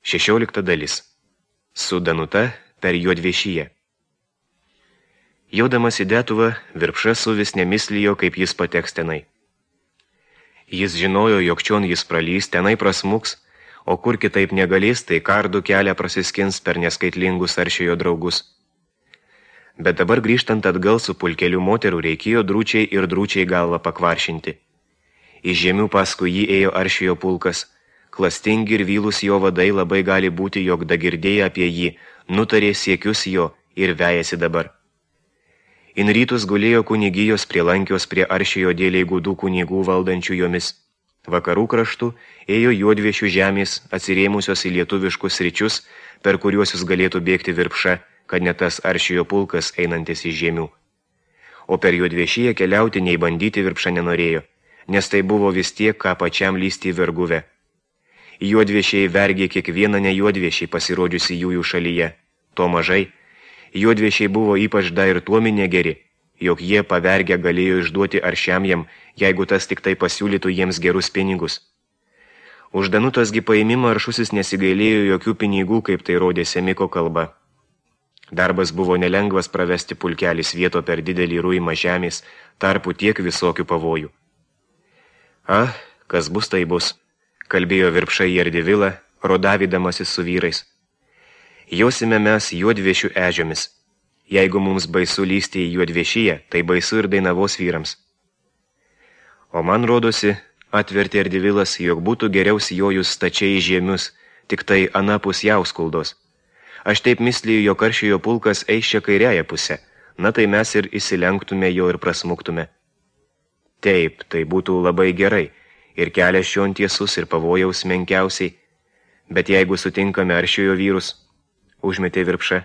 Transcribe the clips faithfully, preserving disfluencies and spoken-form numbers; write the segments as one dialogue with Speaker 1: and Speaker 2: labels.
Speaker 1: Šešiolikta dalis. Su Danuta per Juodviešyje. Jaudamas į Detuvą, Virpša suvis nemislijo, kaip jis pateks tenai. Jis žinojo, jog čion jis pralys, tenai prasmuks, o kur kitaip negalės, tai kardų kelią prasiskins per neskaitlingus aršiojo draugus. Bet dabar grįžtant atgal su pulkeliu moterų reikėjo drūčiai ir drūčiai galvą pakvaršinti. Iš žemių paskui jį ėjo aršiojo pulkas, klastingi ir vylus jo vadai labai gali būti, jog dagirdėję apie jį, nutarė siekius jo ir vejasi dabar. In rytus gulėjo kunigijos prielankios prie aršiojo dėliai gudų kunigų valdančių jomis. Vakarų kraštų ėjo Juodviešių žemės, atsirėmusios į lietuviškus ryčius, per kuriuos jis galėtų bėgti Virpša, kad ne tas aršiojo pulkas einantis iš žemių. O per Juodviešyje keliauti nei bandyti Virpša nenorėjo, nes tai buvo vis tiek, ką pačiam lysti į verguvę. Juodviešiai vergė kiekvieną ne Juodviešiai pasirodžiusi jųjų šalyje. To mažai. Juodviešiai buvo ypač da ir tuomi negeri, jog jie pavergę galėjo išduoti aršiam jam, jeigu tas tik tai pasiūlytų jiems gerus pinigus. Už Danutos gi paėmimą aršusis nesigailėjo jokių pinigų, kaip tai rodė Semiko kalba. Darbas buvo nelengvas pravesti pulkelį svieto per didelį ruimą žemės, tarpu tiek visokių pavojų. Ah, kas bus, tai bus, kalbėjo Virpša į Ardivilą, rodavydamasis su vyrais. Jausime mes Juodviešių ežiomis. Jeigu mums baisu lysti į Juodviešyje, tai baisu ir Dainavos vyrams. O man rodosi, atvertė Ardivilas, jog būtų geriau sijojus stačiai į žiemius, tik tai anapus Jauskuldos. Aš taip misliu, jog aršiojo pulkas eis čia kairiąją pusę, na tai mes ir įsilenktume jo ir prasmuktume. Taip, tai būtų labai gerai, ir kelias šion tiesus ir pavojaus menkiausiai, bet jeigu sutinkame aršiojo vyrus, užmetė Virpša.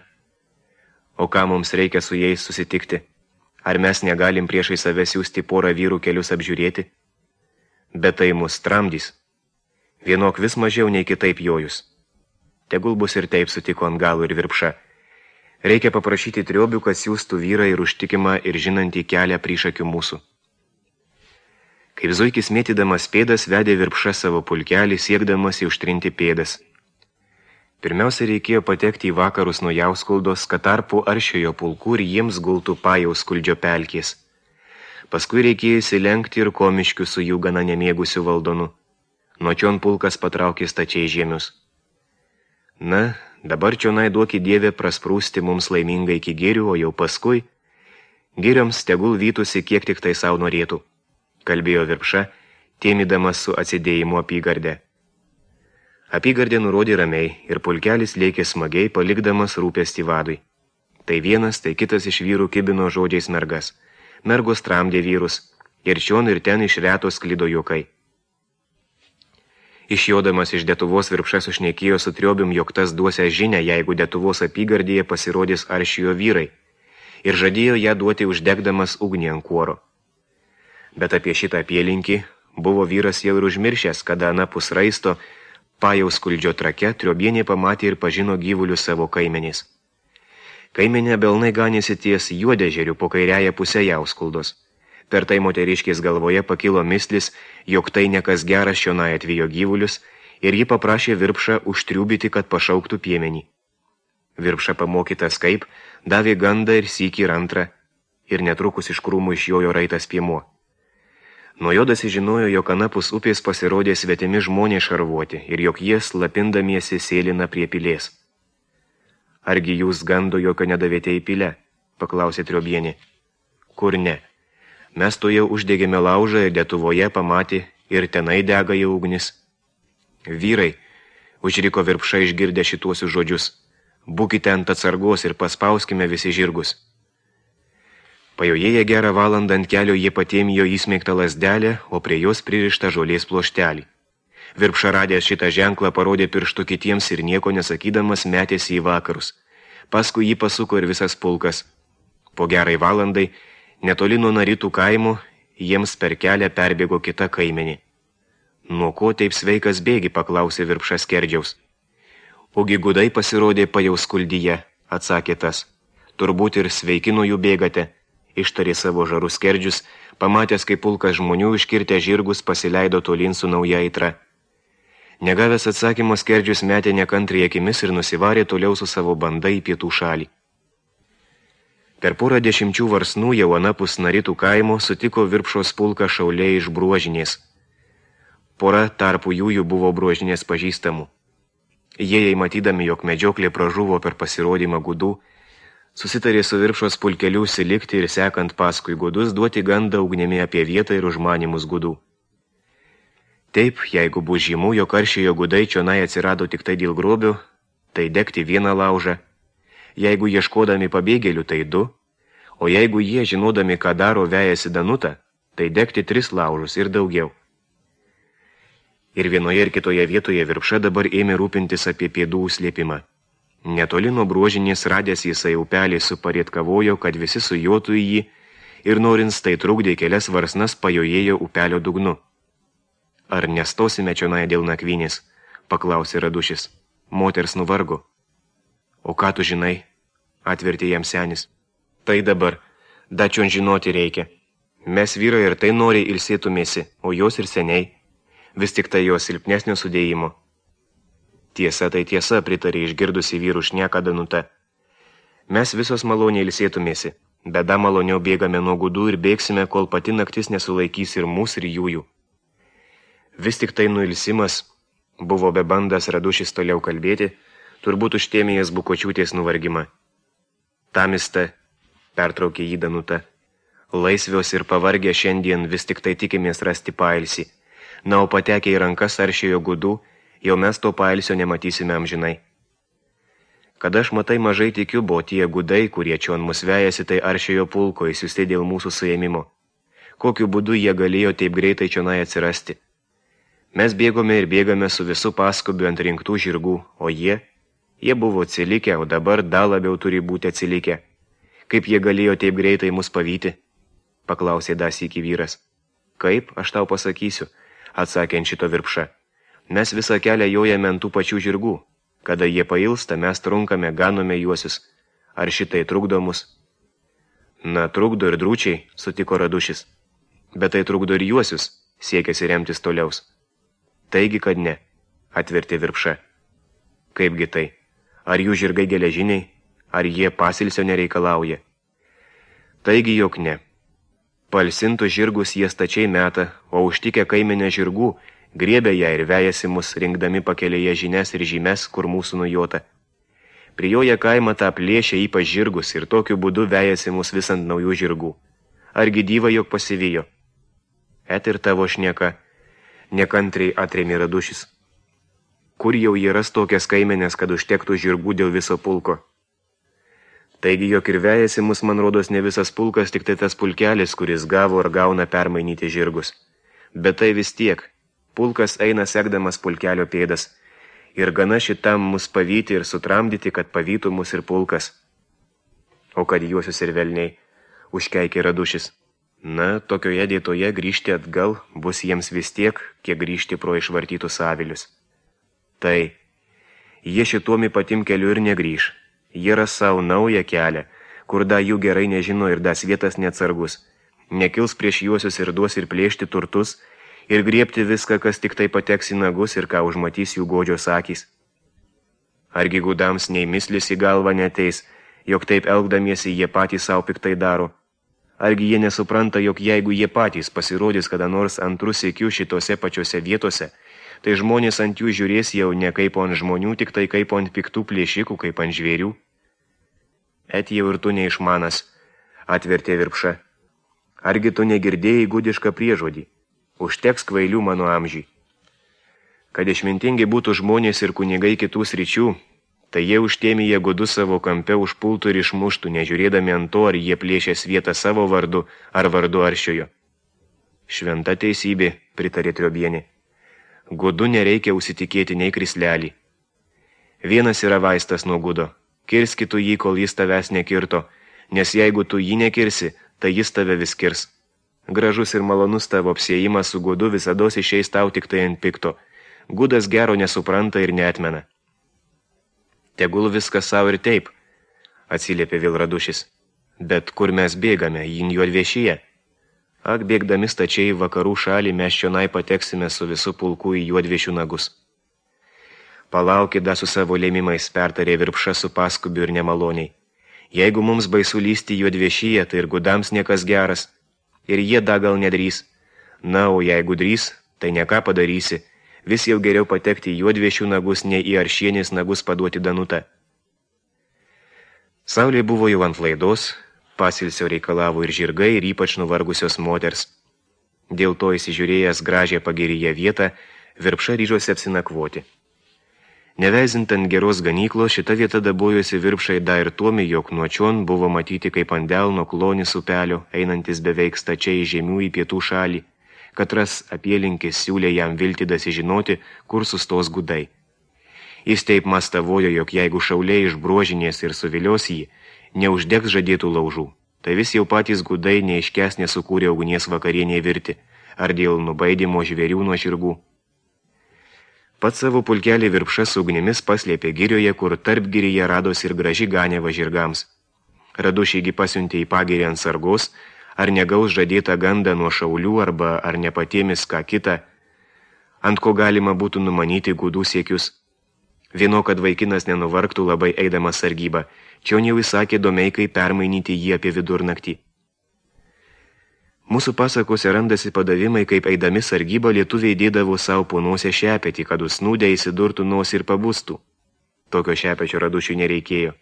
Speaker 1: O ką mums reikia su jais susitikti? Ar mes negalim priešai save siųsti porą vyrų kelius apžiūrėti? Bet tai mus tramdys. Vienok vis mažiau nei kitaip jojus. Tegul bus ir taip, sutiko ant galų ir Virpša. Reikia paprašyti triobių, kad siųstų vyrą ir užtikimą ir žinantį kelią priešakių mūsų. Kaip zuikis mėtydamas pėdas vedė Virpša savo pulkelį, siekdamas užtrinti pėdas. Pirmiausia, reikėjo patekti į vakarus nuo Jauskuldos, kad tarpu aršiojo pulkų ir jiems gultų Pajauskoldžio pelkės. Paskui reikėjo įsilenkti ir Komiškių su jų gana nemėgusiu valdonu. Nuo čion pulkas patraukė stačiai žiemius. Na, dabar čionai duoki Dieve prasprūsti mums laimingai iki girių, o jau paskui girioms tegul vytųsi kiek tik tai savo norėtų, kalbėjo Virpša, tėmidamas su atsidėjimu apygardę. Apygardė nurodė ramiai ir pulkelis lėkė smagiai, palikdamas rūpestį vadui. Tai vienas, tai kitas iš vyrų kibino žodžiais mergas. Mergos tramdė vyrus ir čion ir ten iš reto sklido juokai. Išjodamas iš Detuvos Virpša sušnekėjo su triobium, jog tas duosia žinią, jeigu Detuvos apygardėje pasirodys aršiojo vyrai, ir žadėjo ją duoti uždegdamas ugnį ant kuoro. Bet apie šitą apylinkį buvo vyras jau ir užmiršęs, kada anapus raisto Pajauskoldžio trake triobienė pamatė ir pažino gyvulius savo kaimenės. Kaimenė belnai ganėsi ties Juodežeriu po kairiąją pusę Jauskuldos. Per tai moteriškės galvoje pakilo mislis, jog tai nekas geras čionai atvijo gyvulius, ir ji paprašė Virpšą užtriubyti, kad pašauktų piemenį. Virpša pamokytas kaip, davė gandą ir sykį ir antrą, ir netrukus iš krūmų išjojo raitas piemuo. Nuo jo dasižinojo, jog anapus upės pasirodė svetimi žmonės šarvuoti ir jog jie slapindamiesi sėlina prie pilės. Argi jūs gando jokio nedavėte į pilę? Paklausė triobienė. Kur ne? Mes to jau uždegėme laužą ir Detuvoje pamatė ir tenai dega jau ugnis. Vyrai, užriko Virpša išgirdę šituosius žodžius, būkite ant atsargos ir paspauskime visi žirgus. Pajojėję gerą valandą ant kelio jie patėmijo įsmeigtą lasdelę, o prie jos pririštą žolės ploštelį. Virpša radęs šitą ženklą parodė pirštu kitiems ir nieko nesakydamas metėsi į vakarus. Paskui jį pasuko ir visas pulkas. Po gerai valandai, netoli nuo Naritų kaimų, jiems per kelią perbėgo kita kaimenė. Nuo ko taip sveikas bėgi, paklausė Virpša skerdžiaus. Ogi gudai pasirodė Pajauskoldyje, atsakė tas. Turbūt ir sveiki nuo jų bėgate. Ištarė savo žarus skerdžius, pamatęs, kaip pulkas žmonių iškirtę žirgus pasileido tolin su nauja aitra. Negavęs atsakymo skerdžius metė nekantriai akimis ir nusivarė toliau su savo banda į pietų šalį. Per porą dešimčių varsnų jau anapus Naritų kaimo sutiko Virpšos pulką šauliai iš Bruožinės. Pora tarpų jųjų buvo Bruožinės pažįstamų. Jie, jei matydami, jog medžioklė pražuvo per pasirodymą gudų, susitarė su Virpšos pulkeliu užsilikti ir sekant paskui gudus duoti gandą ugnimi apie vietą ir užmanimus gudų. Taip, jeigu bus žymų, jog aršėjo gudai čionai atsirado tik tai dėl grobių, tai degti vieną laužą, jeigu ieškodami pabėgėlių, tai du, o jeigu jie, žinodami, ką daro, vejasi Danutą, tai degti tris laužus ir daugiau. Ir vienoje ir kitoje vietoje Virpša dabar ėmė rūpintis apie pėdų slėpimą. Netoli nuo Bruožinės radęs jisai upelį suparietkavojo, kad visi sujotų į jį ir norins tai trukdė kelias varsnas pajojėjo upelio dugnu. Ar nestosime čionai dėl nakvynės, paklausė Radušis. Moters nuvargo. O ką tu žinai, atvertė jam senis. Tai dabar, dačion žinoti reikia. Mes vyrai ir tai noriai ilsėtumėsi, o jos ir seniai. Vis tik tai jos silpnesnio sudėjimo. Tiesa, tai tiesa, pritarė išgirdusi vyrų šneką Danuta. Mes visos maloniai ilsėtumėsi, beda maloniau bėgame nuo gudų ir bėgsime, kol pati naktis nesulaikys ir mūsų ir jųjų. Vis tik tai nuilsimas, buvo bebandas Radušis toliau kalbėti, turbūt užtėmėjęs Bukočiūtės nuvargimą. Tamista, pertraukė jį Danuta. Laisvios ir pavargę šiandien vis tik tai tikimės rasti pailsį. Na, o patekę į rankas aršėjo gudų, jau mes to pailsio nematysime amžinai. Kad aš matai mažai tikiu, buvo tie gudai, kurie čion mus vejasi, tai aršėjo pulko įsiusti dėl mūsų suėmimo. Kokiu būdu jie galėjo taip greitai čionai atsirasti? Mes bėgome ir bėgame su visu paskubiu ant rinktų žirgų, o jie, jie buvo atsilikę, o dabar dar labiau turi būti atsilikę. Kaip jie galėjo taip greitai mus pavyti? Paklausė dar sykį vyras. Kaip, aš tau pasakysiu, atsakė ant šito Virpša. Mes visą kelią jojame ant tų pačių žirgų. Kada jie pailsta, mes trunkame, ganome juosius. Ar šitai trukdo mus? Na, trukdo ir drūčiai, sutiko Radušis. Bet tai trukdo ir juosius, siekėsi remtis toliaus. Taigi, kad ne, atvertė Virpša. Kaipgi tai? Ar jų žirgai geležiniai? Ar jie pasilsio nereikalauja? Taigi, jog ne. Palsintų žirgus jie stačiai meta, o užtikę kaimenę žirgų, griebė ją ir vejasi mus, rinkdami pakelėje žinias ir žymes, kur mūsų nujota. Prijoja kaimą tą plėšę ypač žirgus ir tokiu būdu vejasi mus vis ant naujų žirgų. Argi dyva jog pasivijo? Et ir tavo šneka, nekantriai atrėmė Radušis. Kur jau jie ras tokias kaimenės, kad užtektų žirgų dėl viso pulko? Taigi, jog ir vejasi mus, man rodos, ne visas pulkas, tik tai tas pulkelis, kuris gavo ar gauna permainyti žirgus. Bet tai vis tiek. Pulkas eina sekdamas pulkelio pėdas. Ir gana šitam mus pavyti ir sutramdyti, kad pavytų mus ir pulkas. O kad juosius ir velniai, užkeikė Radušis. Na, tokioje dėtoje grįžti atgal bus jiems vis tiek, kiek grįžti pro išvartytus avilius. Tai, jie šituomi patim keliu ir negrįž. Jie ras savo naują kelią, kur da jų gerai nežino ir das vietas neatsargus. Nekils prieš juosius ir duos ir plėšti turtus, ir griebti viską, kas tik tai pateks į nagus ir ką užmatys jų godžios akys. Argi gudams nei mislis į galvą neteis, jog taip elgdamiesi jie patys savo piktai daro. Argi jie nesupranta, jog jeigu jie patys pasirodys kada nors antrų sykių šitose pačiose vietose, tai žmonės ant jų žiūrės jau ne kaip ant žmonių, tik tai kaip ant piktų plėšikų, kaip ant žvėrių. Et jau ir tu neišmanas, atvertė Virpša. Argi tu negirdėjai gudišką priežodį? Užteks kvailių mano amžiui. Kad išmintingi būtų žmonės ir kunigai kitų sričių, tai jie užtėmėje gudus savo kampe užpultų ir išmuštų, nežiūrėdami ant to, ar jie plėšės vietą savo vardu, ar vardu aršiojo. Šventa teisybė, pritarė Triobienė. Gudu nereikia užsitikėti nei krislelį. Vienas yra vaistas nuo gudo. Kirski tu jį, kol jis tavęs nekirto, nes jeigu tu jį nekirsi, tai jis tave vis kirs. Gražus ir malonus tavo apsiejimas su gudu visados išeis tau tik tai ant pikto. Gudas gero nesupranta ir neatmena. Tegul viskas savo ir taip, atsiliepė vėl Radušis. Bet kur mes bėgame, jin juodviešyje? Ak, bėgdami stačiai vakarų šalį, mes čionai pateksime su visu pulku į juodviešių nagus. Palaukit da su savo lėmimais, pertarė Virpša su paskubiu ir nemaloniai. Jeigu mums baisu lysti juodviešyje, tai ir gudams niekas geras. Ir jie da gal nedrys. Na, o jeigu drys, tai neką padarysi. Vis jau geriau patekti į juodviešių nagus, nei į aršienės nagus paduoti Danutą. Saulė buvo jau ant laidos, pasilsio reikalavo ir žirgai, ir ypač nuvargusios moters. Dėl to įsižiūrėjęs gražią pagiriją vietą, Virpša ryžosi apsinakvoti. Neveizint ant geros ganyklos, šita vieta dabojosi Virpšai da ir tuomi, jog nuo čion buvo matyti kaip ant delno klonis upelio, einantis beveik stačiai žemių į pietų šalį. Katras apielinkis siūlė jam viltį dasižinoti, kur sustos gudai. Jis taip mastavojo, jog jeigu šauliai iš bruožinės ir suvilios jį, neuždegs žadėtų laužų. Tai vis jau patys gudai neiškesnė sukūrė ugnies vakarienė virti, ar dėl nubaidimo žvėrių nuo žirgų. Pats savo pulkelį Virpša su ugnimis paslėpė girioje, kur tarp giryje rados ir graži ganėva žirgams. Radušygi pasiuntė į pagirį ant sargos, ar negaus žadėtą gandą nuo šaulių, arba ar nepatėmis ką kitą, ant ko galima būtų numanyti gudų siekius. Vieno, kad vaikinas nenuvargtų labai eidamas sargybą, čion jau įsakė domeikai permainyti jį apie vidurnaktį. Mūsų pasakose randasi padavimai, kaip eidami sargybą lietuviai dėdavo savo po nosę šepetį, kad užsnūdę įsidurtų nosį ir pabustų. Tokio šepečio Radušiui nereikėjo.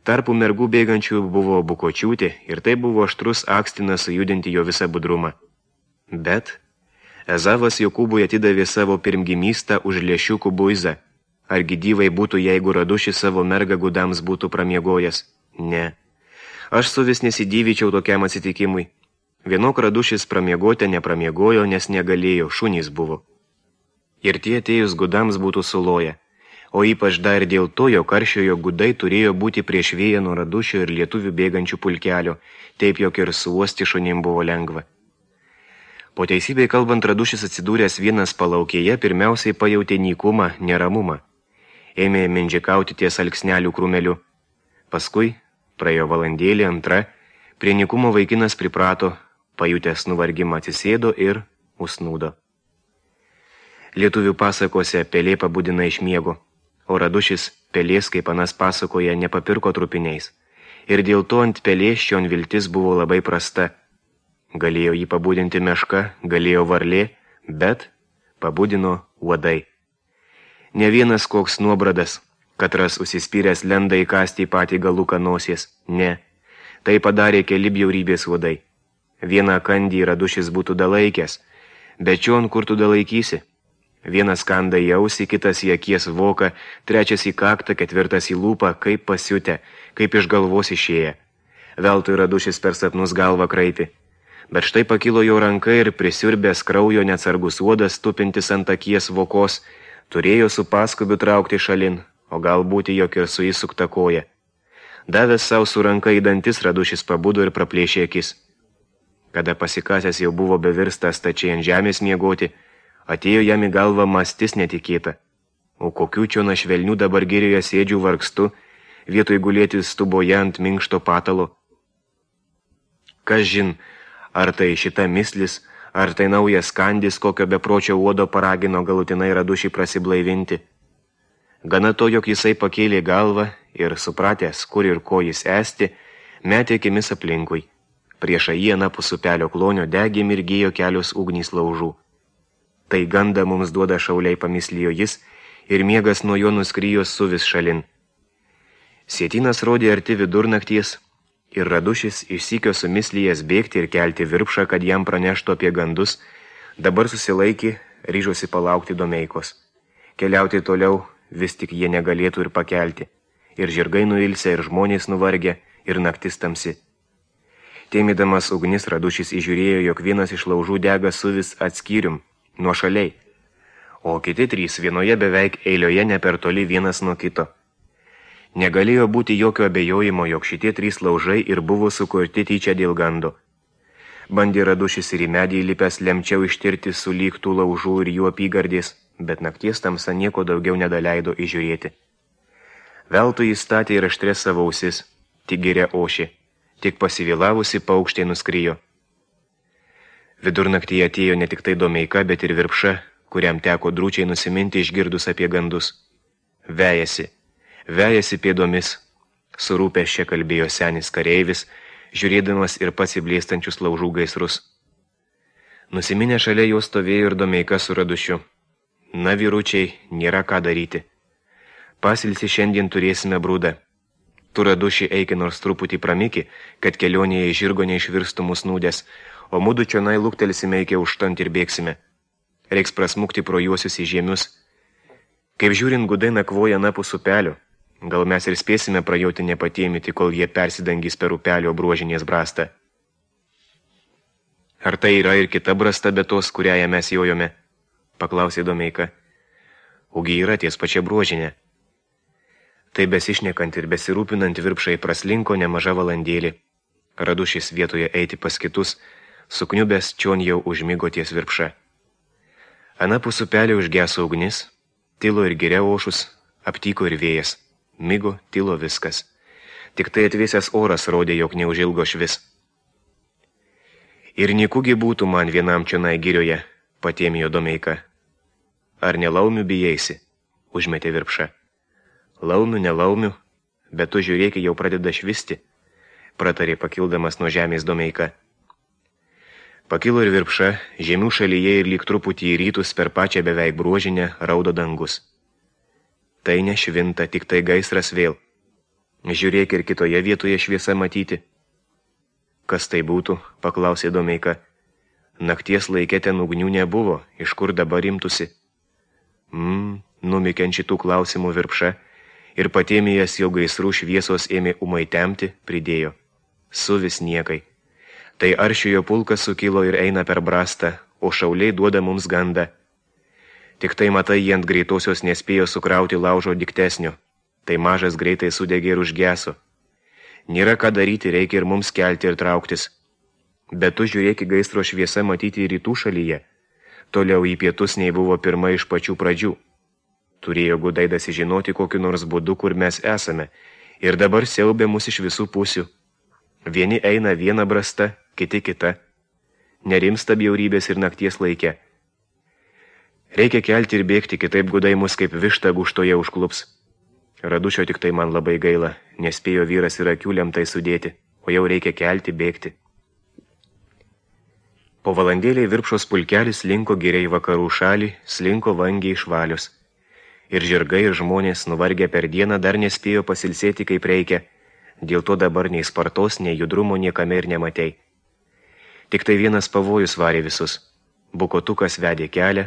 Speaker 1: Tarpų mergų bėgančių buvo Bukočiūtė ir tai buvo aštrus akstinas sujudinti jo visą budrumą. Bet Ezavas Jokūbui atidavė savo pirmgimystą už lėšiukų buizą. Argi dyvai būtų, jeigu Radušis savo mergą gudams būtų pramiegojęs? Ne. Aš su vis nesidyvyčiau tokiam atsitikimui. Vienok Radušis pramiegoti nepramiegojo, nes negalėjo, šunys buvo. Ir tie atėjus gudams būtų suloję. O ypač dar dėl to, jo karšiojo gudai turėjo būti prieš vėją nuo Radušio ir lietuvių bėgančių pulkelio, taip jog ir suosti šunim buvo lengva. Po teisybei kalbant, Radušis atsidūręs vienas palaukėje, pirmiausiai pajautė nykumą, neramumą. Ėmė mindžikauti ties alksnelių krūmeliu. Paskui, praėjo valandėlį antra, prie nykumo vaikinas priprato, pajutęs nuvargimą atsisėdo ir užsnūdo. Lietuvių pasakose pelė pabudina iš miego, o Radušis pelės, kaip anas pasakoja, nepapirko trupiniais. Ir dėl to ant pelės šion viltis buvo labai prasta. Galėjo jį pabudinti meška, galėjo varlė, bet pabudino uodai. Ne vienas koks nuobradas, katras užsispyręs lenda įkasti į patį galuką nosies. Ne, tai padarė keli bjaurybės uodai. Vieną kandį Radušis būtų dalaikęs, bet čion kur tu dalaikysi? Vienas kanda į ausį, kitas į akies voką, trečias į kaktą, ketvirtas į lūpą, kaip pasiutę, kaip iš galvos išėję. Veltui Radušis per sapnus galvą kraipi. Bet štai pakilo jo ranka ir prisiurbęs kraujo neatsargus uodas, tupintis ant akies vokos, turėjo su paskubiu traukti šalin, o galbūt jog ir su įsukta koja. Davęs savo su ranka į dantis, Radušis pabudo ir praplėšė akis. Kada pasikasęs jau buvo bevirstas stačiai ant žemės miegoti, atėjo jam į galvą mastis netikėta. O kokių čiona švelnių dabar girioje sėdžių vargstu, vietoj gulėti stuboje ant minkšto patalo. Kas žin, ar tai šita mislis, ar tai naujas kandis, kokio bepročio uodo paragino galutinai Radušį prasiblaivinti. Gana to, jog jisai pakėlė galvą ir, supratęs, kur ir ko jis esti, metė akimis aplinkui. Priešą jį anapus upelio klonio degė mirgėjo kelios ugnys laužų. Tai ganda mums duoda šauliai, pamislijo jis, ir miegas nuo jo nuskrijo su vis šalin. Sietynas rodė arti vidurnakties, ir Radušis išsykio sumislijęs bėgti ir kelti Virpšą, kad jam praneštų apie gandus, dabar susilaikė, ryžosi palaukti domeikos. Keliauti toliau vis tik jie negalėtų ir pakelti. Ir žirgai nuilsė, ir žmonės nuvargė, ir naktis tamsi. Tėmėdamas ugnis Radušis įžiūrėjo, jog vienas iš laužų dega suvis atskyrium, nuo šaliai, o kiti trys vienoje beveik eilioje ne per toli vienas nuo kito. Negalėjo būti jokio abejojimo, jog šitie trys laužai ir buvo sukurti tyčia dėl gando. Bandė Radušis ir į medį įlipęs lemčiau ištirti sulygtų laužų ir jų apygardės, bet nakties tamsa nieko daugiau nedaleido įžiūrėti. Veltui jis statė ir aštrės savo ausis, tik giria ošė. Tik pasivėlavusi paukštė nuskrijo. Vidurnaktyje atėjo ne tik tai Domeika, bet ir Virpša, kuriam teko drūčiai nusiminti išgirdus apie gandus. Vejasi, vejasi pėdomis. Surūpęs čia kalbėjo senis kareivis, žiūrėdamas ir pats įblėstančius laužų gaisrus. Nusiminę šalia jo stovėjo ir Domeika su Radušiu. Na, vyručiai, nėra ką daryti. Pasilsi šiandien turėsime brūdą. Tu, Raduši, eiki nors truputį pramiki, kad kelionėje į žirgo neišvirstų mus nūdės, o mudu čionai luktelsime iki užtant ir bėgsime. Reiks prasmukti pro juosius į žiemius. Kaip žiūrint, gudai nakvoja napus upelio. Gal mes ir spėsime prajauti nepatėmyti, kol jie persidangys per upelio bruožinės brastą. Ar tai yra ir kita brasta be tos, kurią mes jojome? Paklausė Domeika. Ugi yra ties pačia bruožinė. Tai besišnekant ir besirūpinant Virpšai praslinko nemaža valandėlį. Radušis vietoje eiti pas kitus, sukniubęs čion jau užmigo ties Virpša. Anapus upelio užgeso ugnis, tilo ir giria ošus, aptyko ir vėjas. Migo, tilo viskas. Tik tai atvėsęs oras rodė, jog neužilgo švis. Ir nikugi būtų man vienam čionai girioje, patėmijo Domeika. Ar nelaumių bijaisi? Užmetė Virpša. Laumių, nelaumių, bet tu žiūrėki jau pradeda švisti, pratarė pakildamas nuo žemės Domeika. Pakilo ir Virpša, žemių šalyje ir lyg truputį į rytus per pačią beveik bruožinę raudo dangus. Tai nešvinta, tik tai gaisras vėl. Žiūrėk ir kitoje vietoje šviesa matyti. Kas tai būtų, paklausė Domeika. Nakties laikė ten ugnių nebuvo, iš kur dabar imtusi? Mmm, numikiant šitų klausimų Virpša ir patėmėjęs jo gaisrų šviesos ėmė umai temti, pridėjo. Suvis niekai. Tai aršiojo pulkas sukilo ir eina per brastą, o šauliai duoda mums gandą. Tik tai matai, jie ant greitosios nespėjo sukrauti laužo diktesnio. Tai mažas greitai sudegė ir užgeso. Nėra ką daryti, reikia ir mums kelti ir trauktis. Bet tu žiūrėki gaisro šviesa matyti į rytų šalyje. Toliau į pietus nei buvo pirma iš pačių pradžių. Turėjo gudai dasižinoti kokiu nors būdu, kur mes esame, ir dabar siaubė mus iš visų pusių. Vieni eina viena brasta, kiti kita. Nerimsta bjaurybės ir nakties laike. Reikia kelti ir bėgti, kitaip gudai mus kaip višta guštoje užklups. Radušio tik tai man labai gaila, nespėjo vyras ir akių lemtai sudėti, o jau reikia kelti, bėgti. Po valandėliai Virpšos pulkelis slinko giriai vakarų šalį, slinko vangiai išvalius. Ir žirgai ir žmonės nuvargę per dieną dar nespėjo pasilsėti kaip reikia, dėl to dabar nei spartos, nei judrumo niekame ir nematei. Tik tai vienas pavojus varė visus. Bukotukas vedė kelią,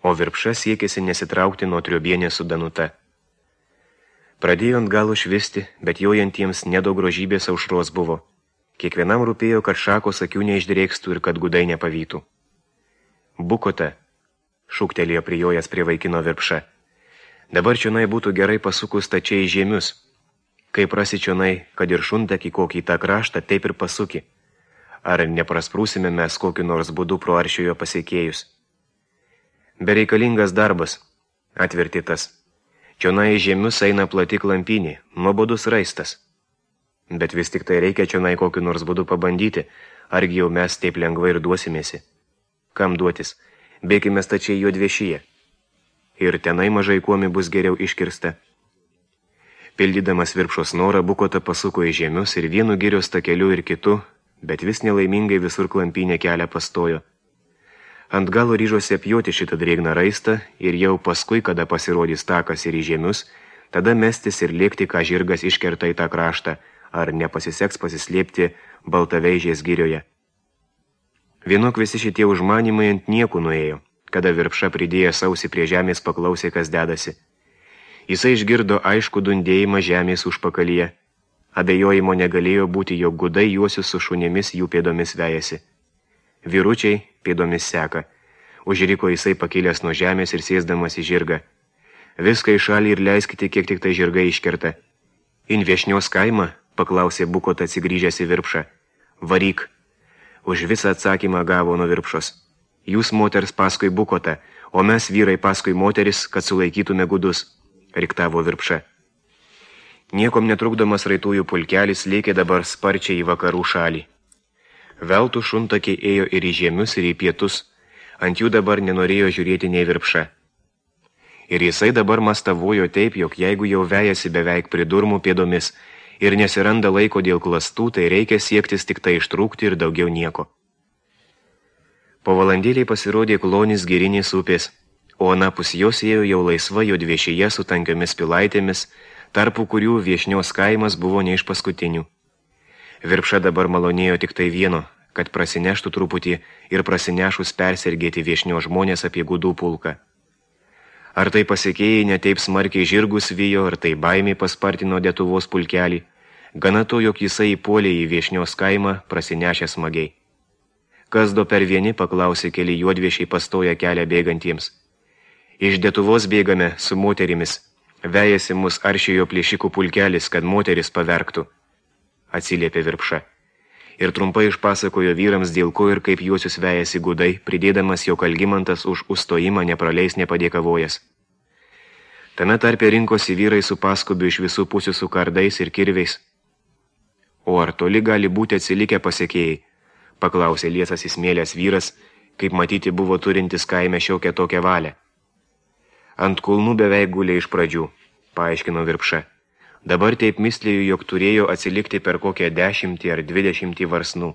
Speaker 1: o Virpša siekėsi nesitraukti nuo triobienės su Danuta. Pradėjo ant galo švisti, bet jojantiems nedaug grožybės aušros buvo. Kiekvienam rūpėjo, kad šakos akių neišdrėkstų ir kad gudai nepavytų. Bukota, šūktelėjo prijojas prie vaikino Virpša. Dabar čionai būtų gerai pasukus tačiai į žiemius. Kai prasi čionai, kad ir šuntakį kokį tą kraštą, taip ir pasuki. Ar neprasprūsime mes kokiu nors būdu pro aršiojo pasiekėjus? Bereikalingas darbas, atvertė tas. Čionai į žiemius eina plati klampinė, nuobodus raistas. Bet vis tik tai reikia čionai kokiu nors būdu pabandyti, argi jau mes taip lengvai ir duosimėsi. Kam duotis? Bėkime stačiai jo dviešyje. Ir tenai mažai kuomi bus geriau iškirsta. Pildydamas Virpšos norą, Bukota pasuko į žiemius ir vienu girios takeliu ir kitu, bet vis nelaimingai visur klampinė kelią pastojo. Ant galo ryžosi apjoti šitą drėgną raistą ir jau paskui, kada pasirodys takas ir į žiemius, tada mestis ir lėkti, ką žirgas iškerta į tą kraštą, ar nepasiseks pasislėpti Baltaveižės girioje. Vienok visi šitie užmanimai ant niekų nuėjo, kada Virpša pridėję sausį prie žemės paklausė, kas dedasi. Jisai išgirdo aišku dundėjimą žemės užpakalyje. Abejojimo negalėjo būti, jog gudai juosius su šunėmis jų pėdomis vejasi. Vyručiai pėdomis seka. Užriko jisai pakilęs nuo žemės ir sėsdamas į žirgą. Viską į šalį ir leiskite, kiek tik tai žirgai iškerta. In Viešnios kaimą, paklausė Bukota atsigrįžęs į Virpšą. Varyk. Už visą atsakymą gavo nuo Virpšos. Jūs moters paskui Bukotą, o mes vyrai paskui moteris, kad sulaikytume gudus, riktavo Virpša. Niekom netrukdomas raitųjų pulkelis lėkė dabar sparčiai į vakarų šalį. Veltų šuntakiai ėjo ir į žiemius, ir į pietus, ant jų dabar nenorėjo žiūrėti nei Virpša. Ir jisai dabar mastavojo taip, jog jeigu jau vejasi beveik pridurmų pėdomis ir nesiranda laiko dėl klastų, tai reikia siektis tik tai ištrūkti ir daugiau nieko. Po valandėliai pasirodė klonis girinės upės, o anapus jos ėjo jau laisva jodviešyje su tankiomis pilaitėmis, tarpu kurių viešnios kaimas buvo ne iš paskutinių. Virpša dabar malonėjo tik tai vieno, kad prasineštų truputį ir prasinešus persergėti viešnio žmonės apie gudų pulką. Ar tai pasiekėjai netaip smarkiai žirgus vijo, ar tai baimiai paspartino Lietuvos pulkelį, gana to, jog jisai įpuolė į viešnios kaimą, prasinešė smagiai. Kas do per vieni, paklausė keli juodviešiai pastoja kelią bėgantiems. Iš Lietuvos bėgame su moterimis, vejasi mus aršėjo plėšikų pulkelis, kad moteris paverktų, atsiliepė Virpša. Ir trumpai išpasakojo vyrams, dėl ko ir kaip juosius vejasi gudai, pridėdamas, jog Algimantas už užstojimą nepraleis nepadėkavojas. Tame tarpe rinkosi vyrai su paskubiu iš visų pusių su kardais ir kirviais. O ar toli gali būti atsilikę pasiekėjai? Paklausė liesas įsmėlęs vyras, kaip matyti buvo turintis kaime šiokią tokią valią. Ant kulnų beveik gulė iš pradžių, paaiškino Virpša. Dabar taip mislėjau, jog turėjo atsilikti per kokią dešimtį ar dvidešimtį varsnų.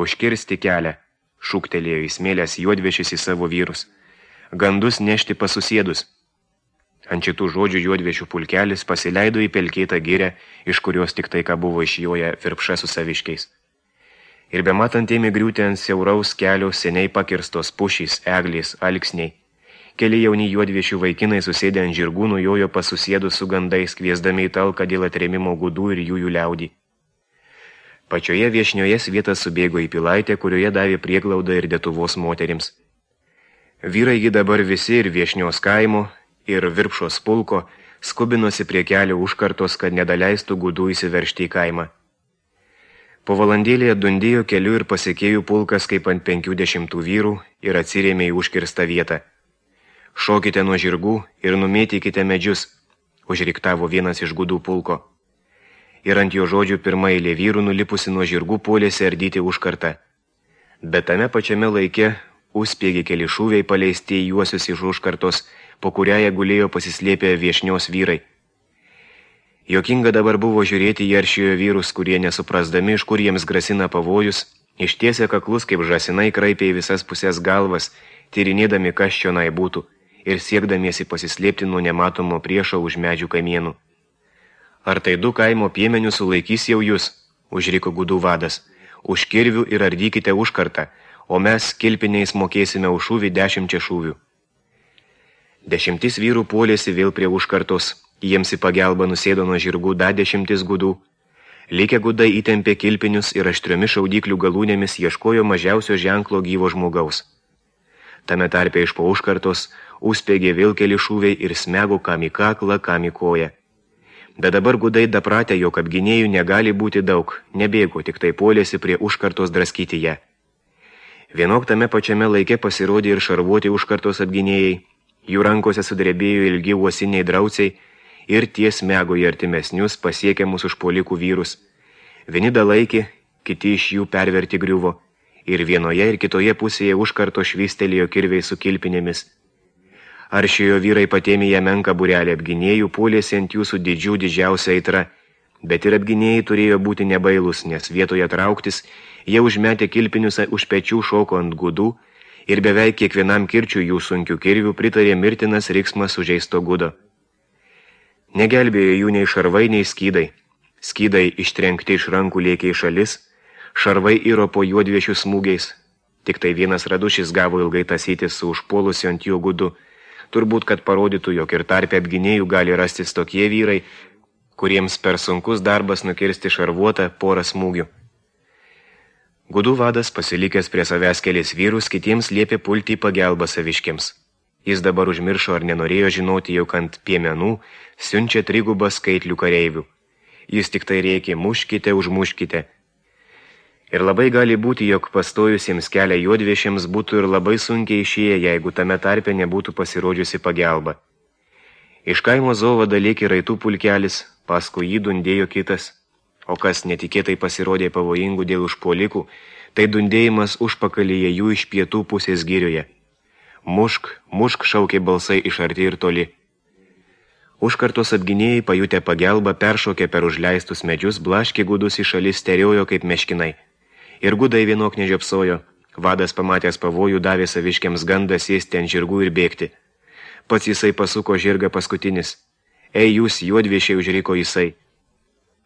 Speaker 1: Užkirsti kelią, šūktelėjo įsmėlęs juodviešis į savo vyrus. Gandus nešti pasusėdus. Ant šitų žodžių juodviešių pulkelis pasileido į pelkėtą girę, iš kurios tik tai ką buvo išjoję Virpša su saviškiais. Ir bematant ėmė griūti ant siauraus kelio seniai pakirstos pušys, eglės, alksniai. Keli jauni juodviešių vaikinai susėdę ant žirgų nujojo pasusėdus su gandais, kviesdami į talką dėl atrėmimo gudų ir jųjų liaudį. Pačioje viešnioje svietas subėgo į pilaitę, kurioje davė prieglaudą ir Lietuvos moterims. Vyrai gi dabar visi ir viešnios kaimo, ir Virpšos pulko skubinosi prie kelio užkartos, kad nedaleistų gudų įsiveržti į kaimą. Po valandėlėje dundėjo keliu ir pasiekėjų pulkas kaip ant penkių dešimtų vyrų ir atsirėmė į užkirstą vietą. Šokite nuo žirgų ir numėtykite medžius, užriktavo vienas iš gudų pulko. Ir ant jo žodžių pirma eilė vyrų nulipusi nuo žirgų puolėsi ardyti užkartą. Bet tame pačiame laike užspiegė keli šūviai paleisti į juosius iš užkartos, po kurią jie gulėjo pasislėpę viešnios vyrai. Jokinga dabar buvo žiūrėti į aršiojo vyrus, kurie nesuprasdami, iš kur jiems grasina pavojus, ištiesė kaklus kaip žasinai kraipė į visas pusės galvas, tyrinėdami kas čionai būtų ir siekdamiesi pasislėpti nuo nematomo priešo už medžių kamienų. Ar tai du kaimo piemenių sulaikys jau jūs, užriko gudų vadas, už kirvių ir ardykite užkartą, o mes kilpiniais mokėsime už šūvį dešimčia šūvių. Dešimtis vyrų puolėsi vėl prie užkartos, jiems į pagelbą nusėdo nuo žirgų da dešimtis gudų. Likę gudai įtempė kilpinius ir aštriomis šaudyklių galūnėmis ieškojo mažiausio ženklo gyvo žmogaus. Tame tarpe iš po užkartos užspiegė vėl keli šūviai ir smego kam į kaklą, kam į koją. Bet dabar gudai dapratę, jog apginėjų negali būti daug, nebėgo, tik tai puolėsi prie užkartos draskyti ją. Vienok tame pačiame laike pasirodė ir šarvuoti užkartos apginėjai, jų rankose sudrebėjo ilgi uosiniai drauciai ir tie smego į artimesnius pasiekiamus užpuolikų vyrus. Vieni dalaikė, kiti iš jų perverti griuvo, ir vienoje ir kitoje pusėje užkarto švystelėjo kirviai su kilpinėmis. Aršiojo vyrai patėmė ją menką būrelį apginėjų, puolėsi ant jų su didžių didžiausia aitra, bet ir apginėjai turėjo būti nebailus, nes vietoje trauktis, jie užmetė kilpinius už pečių šoko ant gudų ir beveik kiekvienam kirčių jų sunkių kirvių pritarė mirtinas riksmas sužeisto gudo. Negelbėjo jų nei šarvai, nei skydai. Skydai ištrenkti iš rankų lėkė į šalis, šarvai iro po juodviešių smūgiais. Tik tai vienas radušis gavo ilgai tasytis su užpuolusiu ant jo gudu, turbūt, kad parodytų, jog ir tarpe apginėjų gali rastis tokie vyrai, kuriems per sunkus darbas nukirsti šarvuotą porą smūgių. Gudų vadas, pasilikęs prie savęs kelis vyrus, kitiems liepė pulti į pagelbą saviškiams. Jis dabar užmiršo ar nenorėjo žinoti, jog ant piemenų siunčia trigubą skaitlių kareivių. Jis tik tai rėkė, muškite, užmuškite. Ir labai gali būti, jog pastojusiems kelią juodviešiams būtų ir labai sunkiai išėję, jeigu tame tarpe nebūtų pasirodžiusi pagelba. Iš kaimo zovada lėkė raitų pulkelis, paskui jį dundėjo kitas, o kas netikėtai pasirodė pavojingų dėl užpuolikų, tai dundėjimas užpakalyje jų iš pietų pusės girioje. Mušk, mušk, šaukė balsai iš arti ir toli. Užkartos apginėjai, pajutę pagelbą, peršokė per užleistus medžius, blaškė gudus į šalis, steriojo kaip meškinai. Ir gudai vienok nežiopsojo. Vadas pamatęs pavojų davė saviškiams gandą sėsti ant žirgų ir bėgti. Pats jisai pasuko žirgą paskutinis. Ei, jūs, juodviešiai, užriko jisai.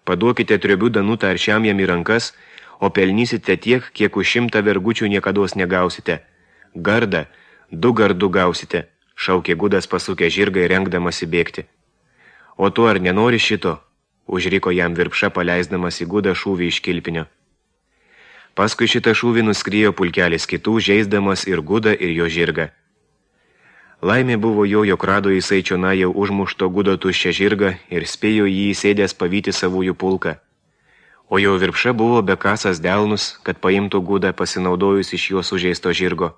Speaker 1: Paduokite triobių danutą aršiam jam į rankas, o pelnysite tiek, kiek už šimtą vergučių niekados negausite. Gardą, du gardų gausite, šaukė gudas pasukę žirgą ir rengdamas įbėgti. O tu ar nenori šito? Užriko jam Virpša, paleisdamas į gudą šūvį iš kilpinio. Paskui šitą šūvį nuskriejo pulkelis kitų, žeisdamas ir gudą, ir jo žirgą. Laimė buvo jo, jog rado jisai čionai jau užmušto gudo tuščią žirgą ir spėjo jį įsėdęs pavyti savųjų pulką. O jo Virpša buvo bekasas delnus, kad paimtų gudą pasinaudojus iš jo sužeisto žirgo.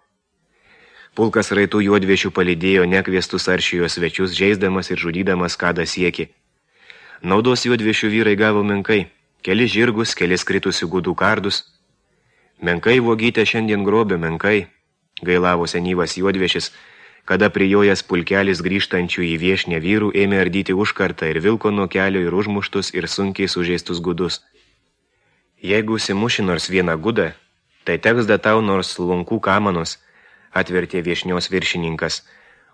Speaker 1: Pulkas raitų juodviešių palydėjo nekviestus aršijo svečius, žeisdamas ir žudydamas kada sieki. Naudos juodviešių vyrai gavo menkai, keli žirgus, kelis kritusių gudų kardus. Menkai vogytę šiandien grobė, menkai, gailavo senyvas juodviešis, kada prijojęs pulkelis grįžtančių į viešnę vyrų ėmė ardyti užkartą ir vilko nuo kelio ir užmuštus ir sunkiai sužeistus gudus. Jeigu simuši nors vieną gudą, tai teks da tau nors lunkų kamanos, atvertė viešnios viršininkas,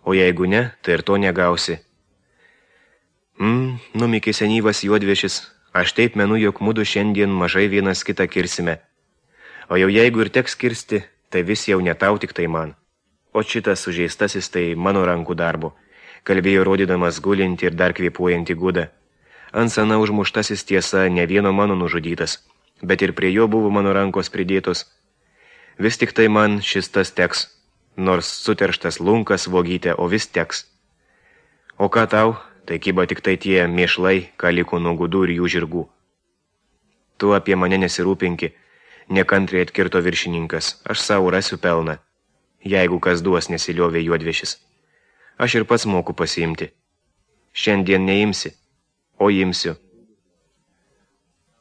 Speaker 1: o jeigu ne, tai ir to negausi. Mm, numikė senyvas juodviešis, aš taip menu, jog mudu šiandien mažai vienas kitą kirsime. O jau jeigu ir teks kirsti, tai vis jau ne tau, tik tai man. O šitas sužeistasis tai mano rankų darbo, kalbėjo rodydamas gulinti ir dar kvėpuojantį gudą. Ant sana užmuštasis tiesa ne vieno mano nužudytas, bet ir prie jo buvo mano rankos pridėtos. Vis tik tai man šis tas teks, nors suterštas lunkas vogytė, o vis teks. O ką tau, tai kyba tik tai tie mėšlai, ką liko nuo gudų ir jų žirgų. Tu apie mane nesirūpinki, nekantriai atkirto viršininkas, aš savo rasiu pelną. Jeigu kas duos, nesiliovė juodviešis. Aš ir pats moku pasiimti. Šiandien neimsi, o imsiu.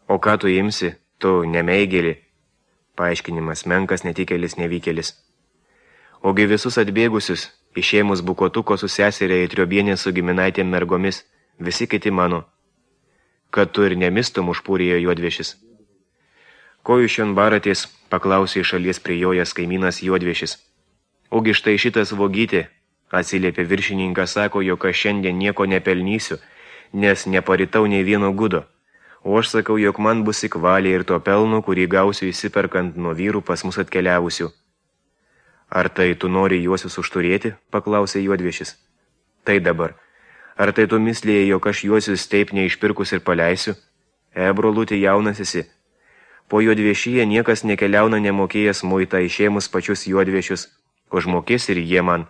Speaker 1: O ką tu imsi, tu nemeigėli. Paaiškinimas menkas, netikėlis, nevykėlis. Ogi visus atbėgusius, išėmus bukotuko su seserė į triobienę su giminaitėm mergomis, visi kiti mano. Kad tu ir nemistum, užpūrėjo juodviešis. Ko jūs šion baratės, paklausė iš šalies prijojęs kaimynas juodviešis. Ogi štai šitas vogytė, atsiliepė viršininkas, sako, jog aš šiandien nieko nepelnysiu, nes neparitau nei vieno gudo. O aš sakau, jog man bus įkvalė ir to pelno, kurį gausiu įsiperkant nuo vyrų pas mus atkeliavusių. Ar tai tu nori juosius užturėti, paklausė juodviešis. Tai dabar. Ar tai tu mislėjai, jog aš juosius taip neišpirkus ir paleisiu? E, brolutė, jaunas esi. Po juodviešyje niekas nekeliauna nemokėjęs muitą išėmus pačius juodviešius. Užmokės ir jie man.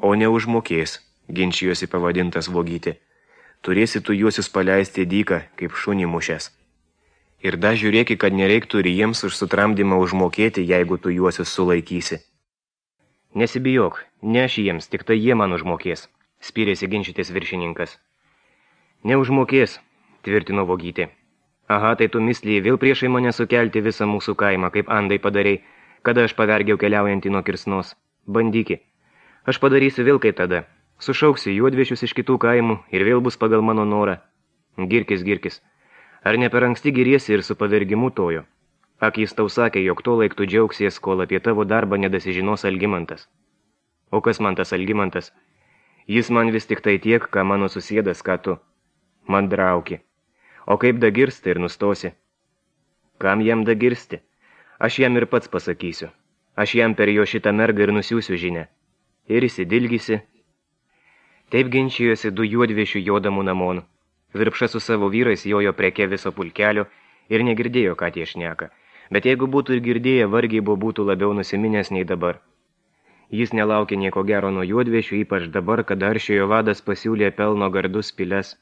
Speaker 1: O ne užmokės, ginčijosi pavadintas vogytė. Turėsi tu juosius paleisti dyką, kaip šunį mušęs. Ir da žiūrėki, kad nereiktų ir jiems už sutramdymą užmokėti, jeigu tu juosius sulaikysi. Nesibijok, ne aš jiems, tik tai jie man užmokės, spyrėsi ginčytis viršininkas. Neužmokės, tvirtino vogytė. Aha, tai tu mislėjai vėl priešai mane sukelti visą mūsų kaimą, kaip andai padarei, kada aš pavergiau keliaujantį nuo kirsnos. Bandyki. Aš padarysiu vėl kaip tada. Sušauksiu juodviešius iš kitų kaimų ir vėl bus pagal mano norą. Girkis, girkis. Ar ne per anksti giriesi ir su pavergimu tojo? Ak, jis tau sakė, jog to laik tu džiaugsies, kol apie tavo darbą nedasižinos Algimantas. O kas man tas Algimantas? Jis man vis tik tai tiek, ką mano susėdas, ką tu. Man drauki. O kaip dagirsti ir nustosi? Kam jam dagirsti? Aš jam ir pats pasakysiu. Aš jam per jo šitą mergą ir nusiųsiu žinę. Ir įsidilgysi. Taip ginčijosi du juodviešių jodamų namon. Virpša su savo vyrais jojo preke viso pulkelio ir negirdėjo, ką tie šneka. Bet jeigu būtų ir girdėję, vargiai buvo būtų labiau nusiminęs nei dabar. Jis nelaukė nieko gero nuo juodviešių, ypač dabar, kada aršiojo vadas pasiūlė pelno gardus piles.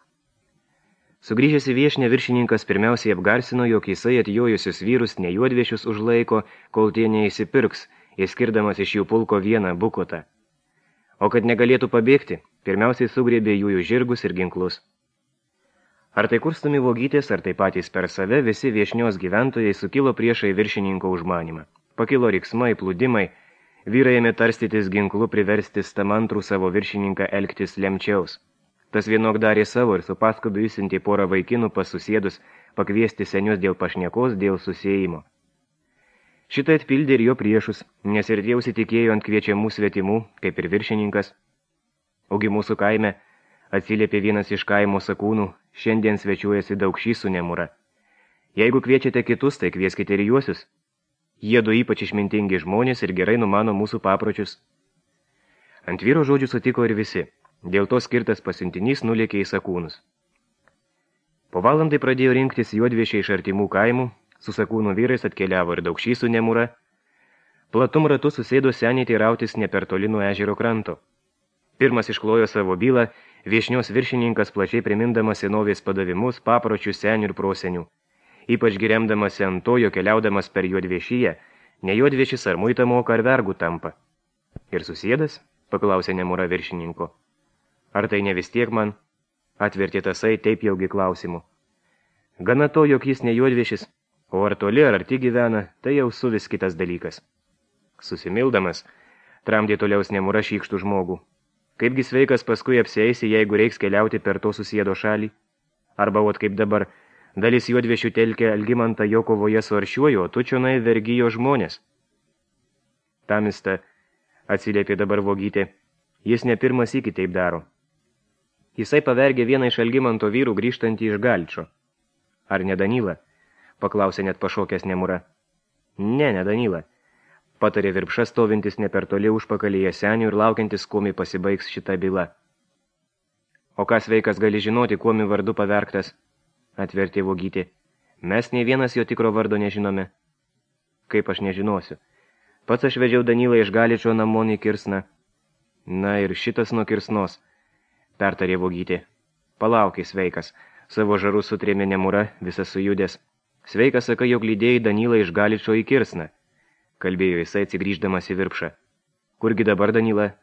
Speaker 1: Sugrįžęs į viešinę viršininkas pirmiausiai apgarsino, jog jisai atjojusius vyrus ne juodviešius užlaiko, kol tie neįsipirks, įskirdamas iš jų pulko vieną bukotą. O kad negalėtų pabėgti, pirmiausiai sugrėbė jųjų žirgus ir ginklus. Ar tai kurstami vogytės, ar tai patys per save, visi viešnios gyventojai sukilo priešai viršininko užmanimą. Pakilo riksmai, plūdimai, Vyrai ėmė tarstytis ginklu priversti stamantrų savo viršininką elgtis lemčiaus. Tas vienok darė savo ir su paskudu įsintė porą vaikinų pasusėdus pakviesti senius dėl pašnekos, dėl susėjimo. Šitą atpildė ir jo priešus, nes ir tie užsitikėjo ant kviečiamų svetimų, kaip ir viršininkas. Ogi mūsų kaime atsiliepė vienas iš kaimo sakūnų, šiandien svečiuojasi Daukšys su Nemura. Jeigu kviečiate kitus, tai kvieskite ir juosius. Jie du ypač išmintingi žmonės ir gerai numano mūsų papročius. Ant vyro žodžių sutiko ir visi. Dėl to skirtas pasiuntinys nulėkė į sakūnus. Po valandai pradėjo rinktis juodviešiai iš artimų kaimų, su sakūnų vyrais atkeliavo ir Daukšys su Nemura. Platum ratu susėdo seniai teirautis ne per toli nuo ežero kranto. Pirmas išklojo savo bylą, viešnios viršininkas plačiai primindamas senovės padavimus, papročių senių ir prosenių. Ypač giremdamasi ant to, jo keliaudamas per juodviešiją, ne juodviešis ar muitą moka ar vergų tampa. Ir susėdas, paklausė Nemura viršininko. Ar tai ne vis tiek man? Atvertė tasai taip jaugi klausimu. Gana to, jog jis ne juodviešis, o ar toli ar arti gyvena, tai jau su vis kitas dalykas. Susimildamas, tramdė toliaus Nemura šykštų žmogų. Kaipgi sveikas paskui apsieisi, jeigu reiks keliauti per to susėdo šalį? Arba ot kaip dabar, dalis juodviešių telkė Algimantą jo kovoje su aršiuoju, o tu čionai vergijo žmonės. Tamista, atsiliepė dabar Vogytė, jis ne pirmas iki taip daro. Jisai pavergė vieną iš Algimanto vyrų grįžtantį iš Galčio. Ar ne Danylą? Paklausė net pašokęs Nemura. Ne, ne Danylą. Patarė Virpša stovintis ne per toli užpakalyje senių ir laukiantis, kuomi pasibaigs šita byla. O kas veikas gali žinoti, kuomi vardu pavergtas? Atvertė Vogytė. Mes nei vienas jo tikro vardo nežinome. Kaip aš nežinosiu. Pats aš vedžiau Danylą iš Galičio namon į Kirsną. Na ir šitas nuo Kirsnos, pertarė Vogytė. Palaukai, sveikas. Savo žarų sutrėmė Nemura, visas sujudęs. Sveikas, sakai, jog lydėjai Danylą iš Galičio į Kirsną. Kalbėjo jisai atsigrįždamas į Virpšą. Kurgi dabar Danyla?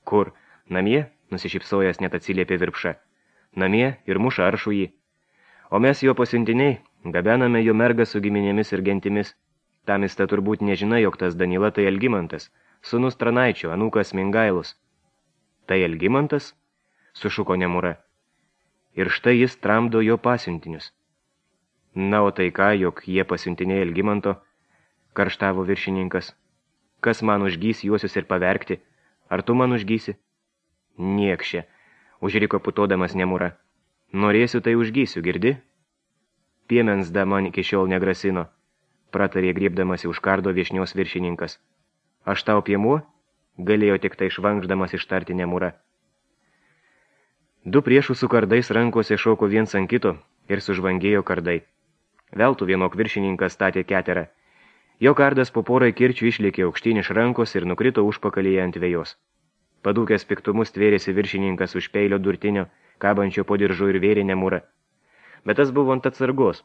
Speaker 1: Kur? Namie? Nusišypsojęs net atsiliepė Virpša. Namie ir muša aršų jį. O mes jo pasiuntiniai, gabename jo mergą su giminėmis ir gentimis. Tamista turbūt nežina, jog tas Danyla tai Algimantas, sūnus Tranaičio, anūkas Mingailus. Tai Algimantas? Sušuko Nemura. Ir štai jis tramdo jo pasiuntinius. Na, o tai ką, jog jie pasiuntiniai Algimanto, karštavo viršininkas. Kas man užgys juosius ir pavergti? Ar tu man užgysi? Niekšė, užriko putodamas Nemura. Norėsiu, tai užgysiu, girdi? Piemens da man iki šiol negrasino, pratarė griebdamasi už kardo viešnios viršininkas. Aš tau piemuo? Galėjo tik tai švankždamas ištarti Nemura. Du priešų su kardais rankose šoko viens ant kito ir sužvangėjo kardai. Veltų vienok viršininkas statė keterą. Jo kardas po porai kirčių išlėkė aukštyn iš rankos ir nukrito užpakalyje ant vejos. Padūkęs piktumus tvėrėsi viršininkas už peilio durtinio, kabančio po diržu ir vėrė Nemurą. Bet tas buvo ant atsargos.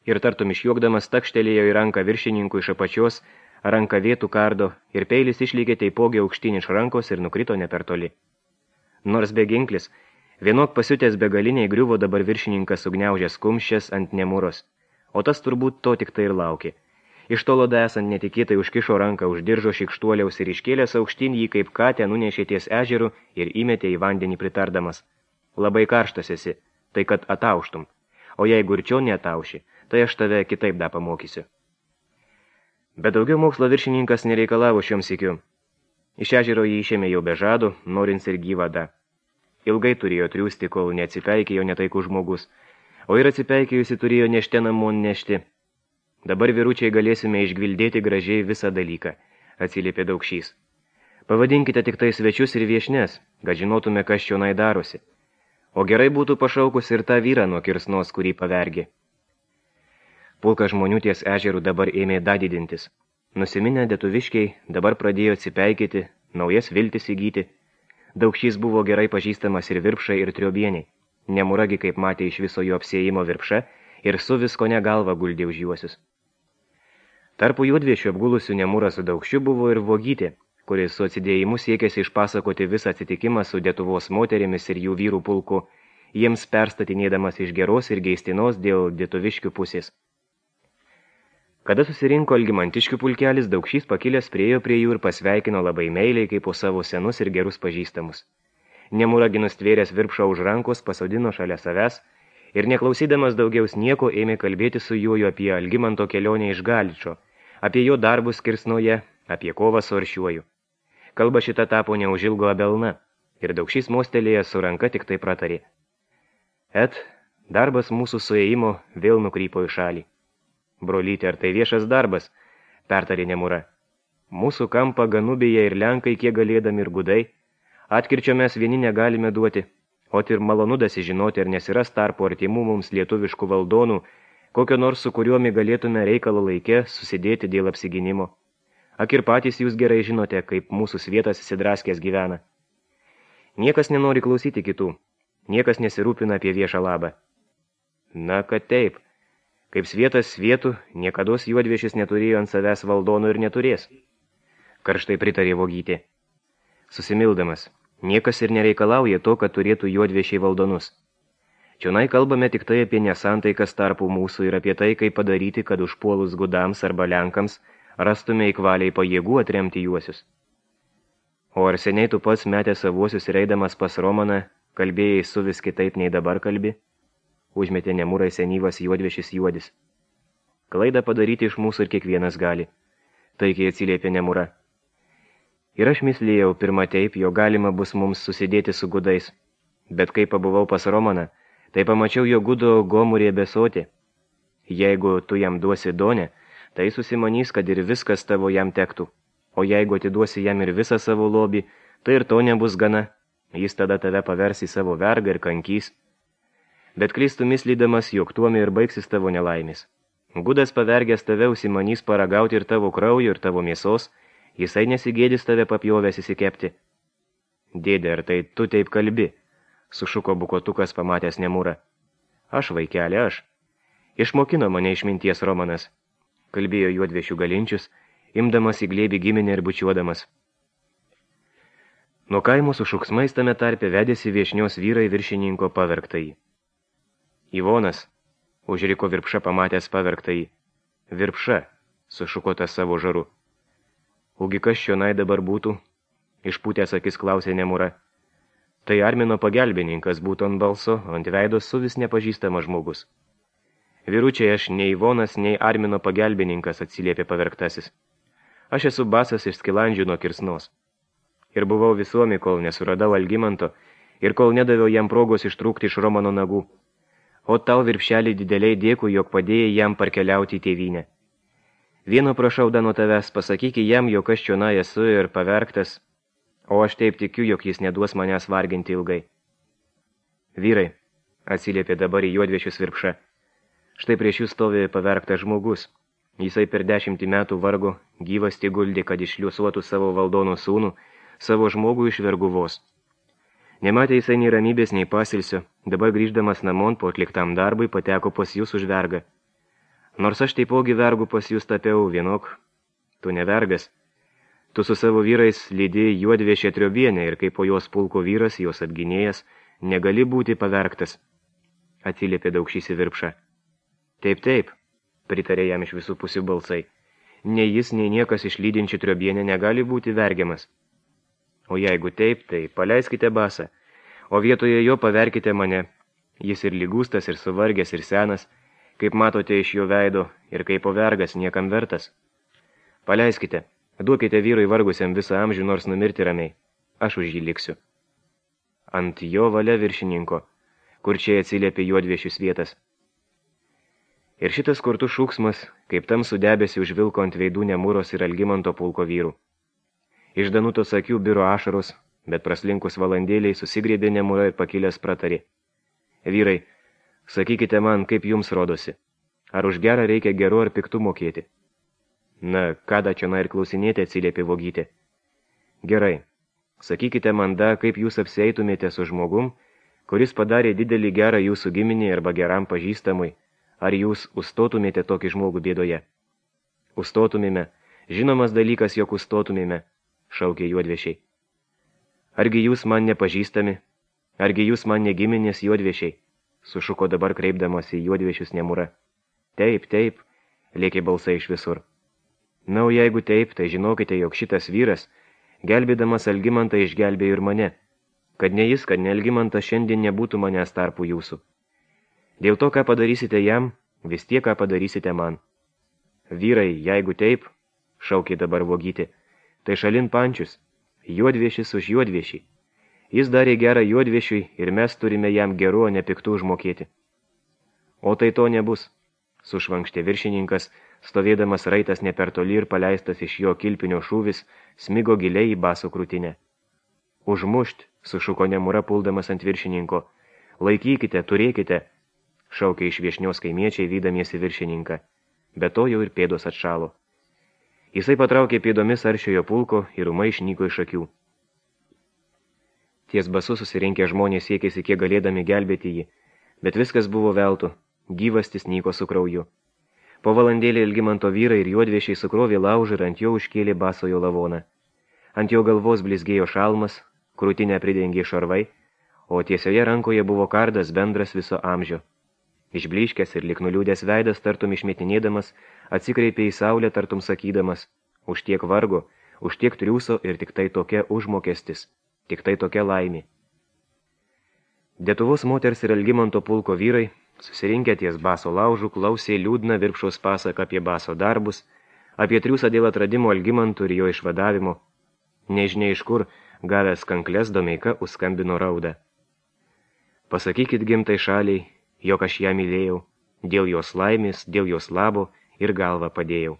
Speaker 1: Ir tartum išjuokdamas takštelėjo į ranką viršininkų iš apačios, ranką vėtų kardo ir peilis išlėkė taipogi aukštyn iš rankos ir nukrito ne per toli. Nors be ginklis, vienok pasiutęs begaliniai griuvo dabar viršininkas sugniaužęs kumščias ant Nemuros, o tas turbūt to tik tai ir laukė. Iš tolo esant netikėtai užkišo ranką už diržo šikštuoliaus ir iškėlęs aukštyn jį kaip katę nunešė ties ežeru ir įmetė į vandenį pritardamas. Labai karštas esi, tai kad atauštum, o jeigu ir čia neatauši, tai aš tave kitaip da pamokysiu. Bet daugiau mokslo viršininkas nereikalavo šiom sykiu. Iš ežero jį išėmė jau be žado, norins ir gyvą da. Ilgai turėjo triūsti, kol neatsipeikėjo netaikų žmogus, o ir atsipeikėjusi turėjo nešte namon nešti. Dabar vyručiai galėsime išgvildėti gražiai visą dalyką, atsiliepė Daukšys. Pavadinkite tik tai svečius ir viešnes, kad žinotume, kas čionai darosi. O gerai būtų pašaukus ir tą vyrą nuo Kirsnos, kurį pavergė. Pulka žmonių ties ežerų dabar ėmė dadidintis. Nusiminę detuviškiai dabar pradėjo atsipeikėti, naujas viltis įgyti. Daukšys buvo gerai pažįstamas ir Virpšai, ir Triobieniai. Nemuragi, kaip matė iš viso jo apsiėjimo Virpša, ir su visko negalva guldė už juosius. Tarpu juodviešių apgulusių Nemurą su Daukšiu buvo ir Vogytė, kuris su atsidėjimu siekėsi išpasakoti visą atsitikimą su Lietuvos moterimis ir jų vyrų pulku, jiems perstatinėdamas iš geros ir geistinos dėl lietuviškių pusės. Kada susirinko Algimantiškių pulkelis, Daukšys pakilęs priejo prie jų ir pasveikino labai meiliai, kaip po savo senus ir gerus pažįstamus. Nemura ginustvėręs Virpšą už rankos pasodino šalia savęs ir neklausydamas daugiaus nieko ėmė kalbėti su juo apie Algimanto kelionę iš Galičo, apie jo darbus Kirsnoje, apie kovą su Aršiuoju. Kalba šita tapo neužilgo abelna ir Daukšys mostelėjęs su ranka tik tai pratarė. Et, darbas mūsų suėjimo vėl nukrypo į šalį. Brolytė, ar tai viešas darbas, pertarė Nemura. Mūsų kampą Ganubėje ir Lenkai kiek galėdami ir gudai, atkirčio mes vieni negalime duoti, o ir malonu dasižinoti, ar nesiras tarpo artimų mums lietuviškų valdonų, kokio nors su kuriuomi galėtume reikalo laike susidėti dėl apsiginimo. Ak ir patys jūs gerai žinote, kaip mūsų svietas įsidraskęs gyvena. Niekas nenori klausyti kitų, niekas nesirūpina apie viešą labą. Na, kad taip. Kaip svietas svietų, niekados juodviešis neturėjo ant savęs valdonų ir neturės. Karštai pritarė Vogytė. Susimildamas, niekas ir nereikalauja to, kad turėtų juodviešiai valdonus. Čionai kalbame tik tai apie nesantaikas tarpų mūsų ir apie tai, kaip padaryti, kad užpuolus gudams arba Lenkams rastume įkvaliai pajėgų atremti juosius. O ar seniai tu pats metė savuosius ir eidamas pas Romaną, kalbėjai su vis kitaip nei dabar kalbi? Užmetė Nemurai senyvas juodviešis juodis. Klaidą padaryti iš mūsų ir kiekvienas gali. Taikiai atsiliepė Nemura. Ir aš mislėjau pirma taip, jo galima bus mums susidėti su gudais. Bet kai pabuvau pas Romaną, tai pamačiau jo gudo gomurė besoti. Jeigu tu jam duosi donę, tai susimanys, kad ir viskas tavo jam tektų. O jeigu atiduosi jam ir visą savo lobį, tai ir to nebus gana. Jis tada tave pavers į savo vergą ir kankys. Bet klystų mislydamas, jog tuomi ir baigsis tavo nelaimis. Gudas pavergęs tave užsimanys paragauti ir tavo kraujo, ir tavo mėsos, jisai nesigėdys tave papjovęs įsikepti. Dėdė, ar tai tu taip kalbi? Sušuko bukotukas pamatęs Nemurą. Aš, vaikelė, aš. Išmokino mane išminties Romanas, kalbėjo juodviešių galinčius, imdamas į glėbį giminę ir bučiuodamas. Nuo kaimo su šuksmais tame tarpe vedėsi viešnios vyrai viršininko pavergtai. Ivonas, užriko Virpša pamatęs pavergtai. Virpša, sušuko tas savo žaru. Ugi kas čionai dabar būtų? Išpūtęs akis klausė Nemura. Tai Armino pagelbininkas būtų ant balso, ant veidos su vis nepažįstamas žmogus. Vyručiai, aš nei Ivonas, nei Armino pagelbininkas, atsiliepė pavergtasis. Aš esu basas iš Skilandžių nuo Kirsnos. Ir buvau visuomi, kol nesuradau Algimanto ir kol nedaviau jam progos ištrūkti iš Romano nagų. O tau, Virpšelį, dideliai dėkui, jog padėjai jam parkeliauti į tėvynę. Vieno prašau da nuo tavęs, pasakyki jam, jog aš čionai esu ir pavergtas, o aš taip tikiu, jog jis neduos manęs varginti ilgai. Vyrai, atsiliepė dabar į juodviešius Virpša, štai prieš jūs stovi pavergtas žmogus. Jisai per dešimtį metų vargo, gyvas guldė, kad išliusuotų savo valdono sūnų, savo žmogų iš verguvos. Nematė jisai nei ramybės, nei pasilsio, dabar grįždamas namon po atliktam darbui pateko pas jūs už vergą. Nors aš taipogi vergų pas jūs tapiau vienok, tu ne vergas. Tu su savo vyrais lydi juodviešė Triobienė ir kaip po jos pulko vyras, jos apginėjas, negali būti pavergtas. Atsiliepė Daukšys į Virpšą. Taip, taip, pritarė jam iš visų pusių balsai. Nei jis, nei niekas iš lydinčių Triobienę negali būti vergiamas. O jeigu taip, tai paleiskite basą, o vietoje jo paverkite mane. Jis ir lygūstas, ir suvargęs, ir senas, kaip matote iš jo veido, ir kaip vergas niekam vertas. Paleiskite, duokite vyrui vargusiam visą amžių, nors numirti ramiai. Aš už jį liksiu. Ant jo valia viršininko, kur čia atsiliepė juodviešius vietas. Ir šitas kurtų šūksmas, kaip tamsų debesį užvilko ant veidų Nemuros ir Algimanto pulko vyrų. Iš Danutos akių biro ašaros, bet praslinkus valandėliai susigrėbė Nemura ir pakilęs pratarė. Vyrai, sakykite man, kaip jums rodosi. Ar už gerą reikia geru ar piktų mokėti? Na, kada čia na ir klausinėti, atsiliepė Vogytė. Gerai, sakykite man da, kaip jūs apsieitumėte su žmogum, kuris padarė didelį gerą jūsų giminį arba geram pažįstamui, ar jūs užstotumėte tokį žmogų bėdoje? Užstotumėme, žinomas dalykas, jog užstotumėme, šaukė juodviešiai. Argi jūs man nepažįstami? Argi jūs man negiminės juodviešiai? Sušuko dabar kreipdamas į juodviešius Nemura. Taip, taip, lėkė balsai iš visur. Na, o jeigu taip, tai žinokite, jog šitas vyras, gelbėdamas Algimantą, išgelbėjo ir mane. Kad ne jis, kad ne Algimantas šiandien nebūtų manęs tarpų jūsų. Dėl to, ką padarysite jam, vis tiek, ką padarysite man. Vyrai, jeigu taip, šaukė dabar Vogytė, tai šalin Pančius, juodviešis už juodviešį. Jis darė gerą juodviešiui ir mes turime jam geru, o ne piktų užmokėti. O tai to nebus, sušvankštė viršininkas, stovėdamas raitas ne per toli ir paleistas iš jo kilpinio šūvis, smigo giliai į baso krūtinę. Užmušt, sušuko Nemura puldamas ant viršininko. Laikykite, turėkite, šaukė iš viešnios kaimiečiai vydamiesi viršininką. Be to jau ir pėdos atšalo. Jisai patraukė pėdomis aršiojo pulko ir ūmai išnyko iš akių. Ties basu susirinkę žmonės siekėsi kiek galėdami gelbėti jį, bet viskas buvo veltu, gyvastis nyko su krauju. Po valandėlį Algimanto vyrai ir juodviešiai sukrovė laužą ir ant jo užkėlė basojo lavoną. Ant jo galvos blizgėjo šalmas, krūtinę pridengė šarvai, o tiesioje rankoje buvo kardas bendras viso amžio. Išbliškęs ir lyg nuliūdęs veidas, tartum išmetinėdamas, atsikreipė į saulę, tartum sakydamas, už tiek vargo, už tiek triūso ir tik tai tokia užmokestis, tik tai tokia laimė. Detuvos moters ir Algimanto pulko vyrai, susirinkę ties baso laužų, klausė liūdną Virpšaus pasaką apie baso darbus, apie triūsą dėl atradimo Algimantų ir jo išvadavimo. Nežinia iš kur, gavęs kankles, Domeika užskambino raudą. Pasakykit gimtai šaliai, jog aš ją mylėjau, dėl jos laimės, dėl jos labo ir galvą padėjau.